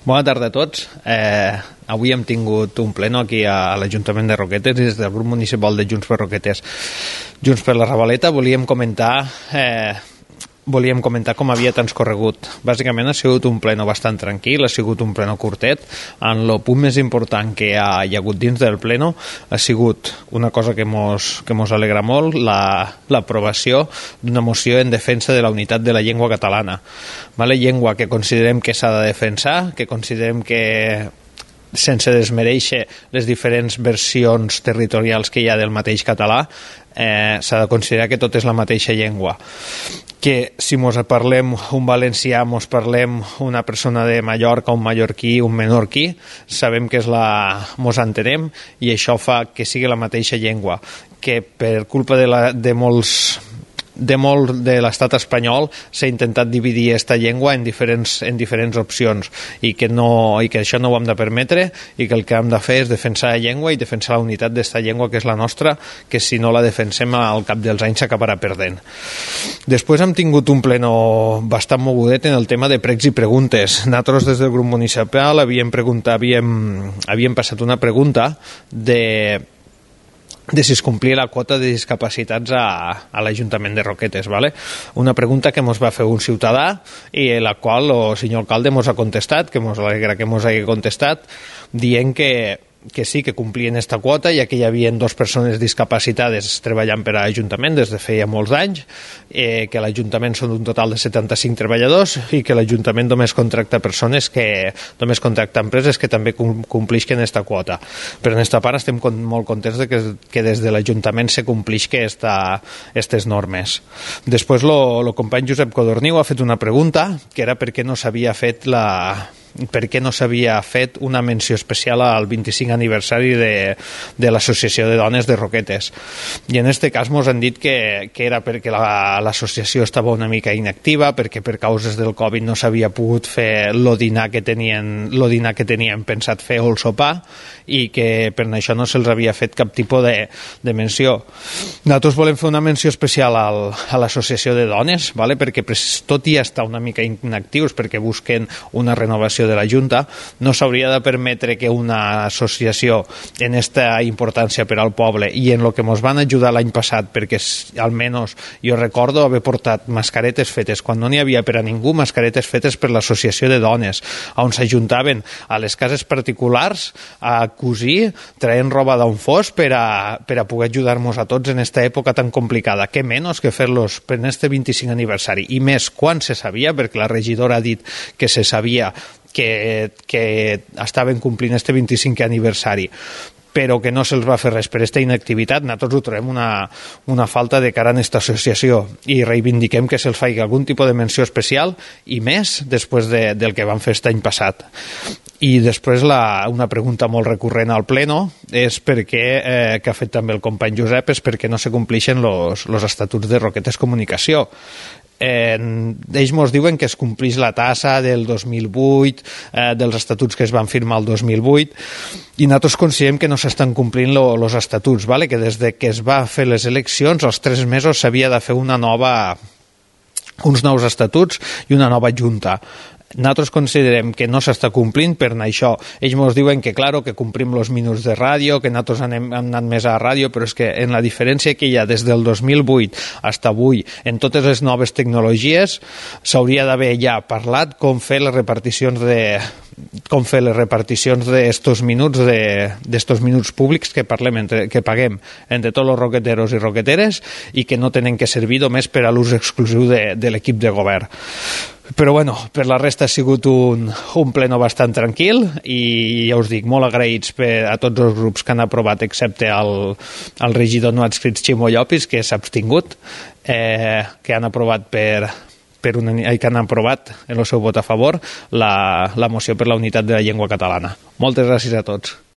Bona tarda a tots. Avui hem tingut un pleno aquí a l'Ajuntament de Roquetes des del grup municipal de Junts per Roquetes. Junts per la Ravaleta volíem comentar com havia transcorregut. Bàsicament ha sigut un pleno bastant tranquil, ha sigut un pleno curtet. En el punt més important que hi ha hagut dins del pleno ha sigut una cosa que mos alegra molt, l'aprovació d'una moció en defensa de la unitat de la llengua catalana. Llengua que considerem que s'ha de defensar, que considerem que sense desmereixer les diferents versions territorials que hi ha del mateix català, s'ha de considerar que tot és la mateixa llengua, que si mos parlem un valencià, mos parlem una persona de Mallorca, un mallorquí, un menorquí, sabem que mos entenem i això fa que sigui la mateixa llengua, que per culpa de molt de l'estat espanyol s'ha intentat dividir aquesta llengua en diferents opcions i que això no ho hem de permetre i que el que hem de fer és defensar la llengua i defensar la unitat d'esta llengua que és la nostra, que si no la defensem al cap dels anys s'acabarà perdent. Després hem tingut un pleno bastant mogudet en el tema de pregs i preguntes. Nosaltres des del grup municipal havíem passat una pregunta de si es complia la quota de discapacitats a l'Ajuntament de Roquetes. Una pregunta que ens va fer un ciutadà i la qual el senyor alcalde ens ha contestat, que ens alegra que ens hagi contestat, dient que sí, que complien aquesta quota, ja que hi havia 2 persones discapacitades treballant per a l'Ajuntament des de feia molts anys, que l'Ajuntament són un total de 75 treballadors i que l'Ajuntament només contracta empreses que també complixen aquesta quota. Però en aquesta part estem molt contents que des de l'Ajuntament se complixen aquestes normes. Després el company Josep Codorniu ha fet una pregunta, que era per què no s'havia fet una menció especial al 25 aniversari de l'Associació de Dones de Roquetes. I en aquest cas ens han dit que era perquè l'associació estava una mica inactiva, perquè per causes del Covid no s'havia pogut fer el dinar que tenien pensat fer o el sopar i que per això no se'ls havia fet cap tipus de menció. Nosaltres volem fer una menció especial a l'Associació de Dones, perquè tot i estar una mica inactius perquè busquen una renovació de la Junta, no s'hauria de permetre que una associació en esta importància per al poble i en el que ens van ajudar l'any passat, perquè almenys jo recordo haver portat mascaretes fetes, quan no n'hi havia per a ningú, mascaretes fetes per l'Associació de Dones, on s'ajuntaven a les cases particulars a cosir, traient roba d'on fos per a poder ajudar-nos a tots en aquesta època tan complicada. Què menys que fer-los per aquest 25 aniversari, i més quan se sabia, perquè la regidora ha dit que se sabia que estaven complint este 25 aniversari, però que no se'ls va fer res per aquesta inactivitat. Nosaltres ho trobem una falta de cara en aquesta associació i reivindiquem que se'ls faci algun tipus de menció especial i més després del que van fer aquest any passat. I després una pregunta molt recurrent al pleno és que ha fet també el company Josep, és perquè no se complixen els estatuts de Roquetes Comunicació. Ells ens diuen que es complix la tassa del 2008, dels estatuts que es van firmar el 2008, i nosaltres considerem que no s'estan complint els estatuts, que des que es va fer les eleccions als 3 mesos s'havia de fer uns nous estatuts i una nova junta. Nosaltres considerem que no s'està complint per això. Ells ens diuen que complim els minuts de ràdio, que nosaltres hem anat més a ràdio, però és que en la diferència que hi ha des del 2008 fins avui en totes les noves tecnologies s'hauria d'haver ja parlat com fer les reparticions d'estos minuts públics que paguem entre tots els roqueteros i roqueteres i que no tenen que servir només per a l'ús exclusiu de l'equip de govern. Però per la resta ha sigut un pleno bastant tranquil i ja us dic, molt agraïts a tots els grups que han aprovat, excepte el regidor no adscrit Ximo Llopis, que s'ha abstingut, que han aprovat que han aprovat en el seu vot a favor la moció per la unitat de la llengua catalana. Moltes gràcies a tots.